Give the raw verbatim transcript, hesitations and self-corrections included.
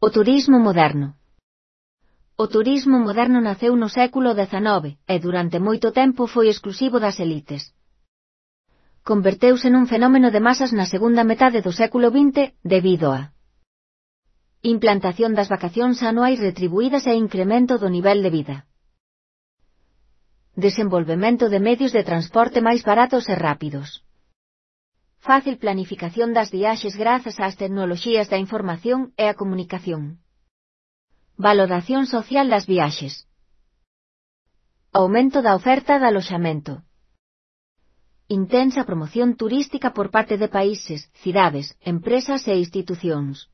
O turismo moderno. O turismo moderno naceu no século dezanove e durante moito tempo foi exclusivo das elites. Converteuse nun fenómeno de masas na segunda metade do século vinte debido a implantación das vacacións anuais retribuídas e incremento do nivel de vida. Desenvolvemento de medios de transporte máis baratos e rápidos. Fácil planificación das viaxes grazas ás tecnoloxías da información e a comunicación. Valoración social das viaxes. Aumento da oferta de aloxamento. Intensa promoción turística por parte de países, cidades, empresas e institucións.